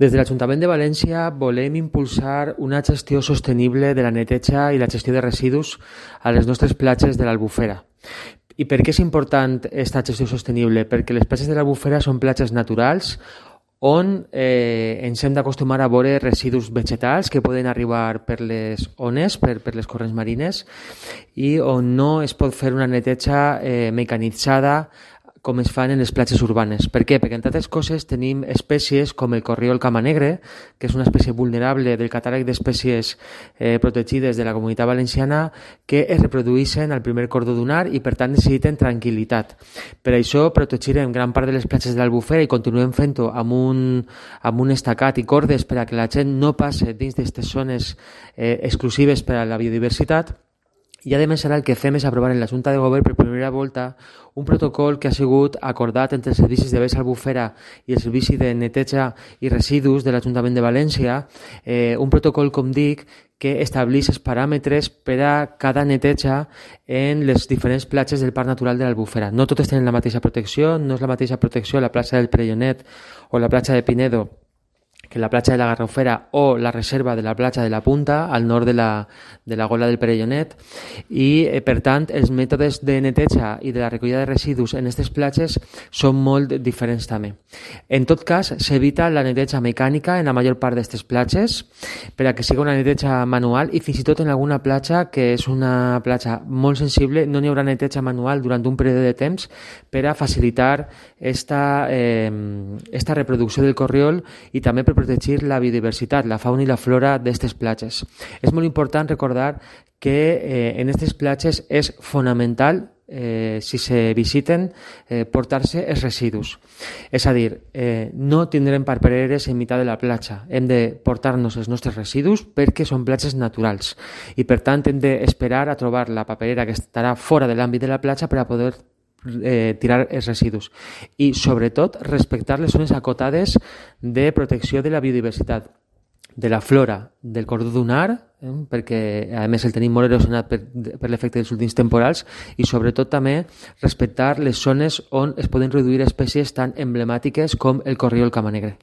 Des de l'Ajuntament de València volem impulsar una gestió sostenible de la neteja i la gestió de residus a les nostres platges de l'Albufera. I per què és important aquesta gestió sostenible? Perquè les platges de l'Albufera són platges naturals on ens hem d'acostumar a veure residus vegetals que poden arribar per les ones, per les corrents marines, i on no es pot fer una neteja mecanitzada com es fan en les platges urbanes. Per què? Perquè, entre altres coses, tenim espècies com el corriol camanegre, que és una espècie vulnerable del catàleg d'espècies protegides de la Comunitat Valenciana, que es reprodueixen al primer cordó dunar i, per tant, necessiten tranquil·litat. Per això, protegirem gran part de les platges de l'Albufera i continuem fent-ho amb un estacat i cordes per a que la gent no passe dins d'aquestes zones exclusives per a la biodiversitat. I, a més, ara el que fem és aprovar en la Junta de Govern per primera volta un protocol que ha sigut acordat entre els servicis de Baix Albufera i el Servici de Neteja i Residus de l'Ajuntament de València, un protocol, com dic, que estableix els paràmetres per a cada neteja en les diferents platges del Parc Natural de l'Albufera. No totes tenen la mateixa protecció, no és la mateixa protecció a la platja del Perellonet o la platja de Pinedo que la platja de la Garrofera o la reserva de la platja de la Punta, al nord de la gola del Perellonet, i, per tant, els mètodes de neteja i de la recollida de residus en aquestes platges són molt diferents també. En tot cas, s'evita la neteja mecànica en la major part d'aquestes platges per a que sigui una neteja manual, i fins i tot en alguna platja, que és una platja molt sensible, no n'hi haurà neteja manual durant un període de temps per a facilitar esta reproducció del corriol i també per protegir la biodiversitat, la fauna i la flora d'aquestes platges. És molt important recordar que en aquestes platges és fonamental, si se visiten, portar-se els residus. És a dir, no tindrem papereres en meitat de la platja. Hem de portar-nos els nostres residus perquè són platges naturals i, per tant, hem d'esperar a trobar la paperera que estarà fora de l'àmbit de la platja per a poder tirar els residus, i sobretot respectar les zones acotades de protecció de la biodiversitat, de la flora del cordó dunar, perquè a més el tenim molt erosionat per l'efecte dels últims temporals, i sobretot també respectar les zones on es poden reduir espècies tan emblemàtiques com el corriol camanegre.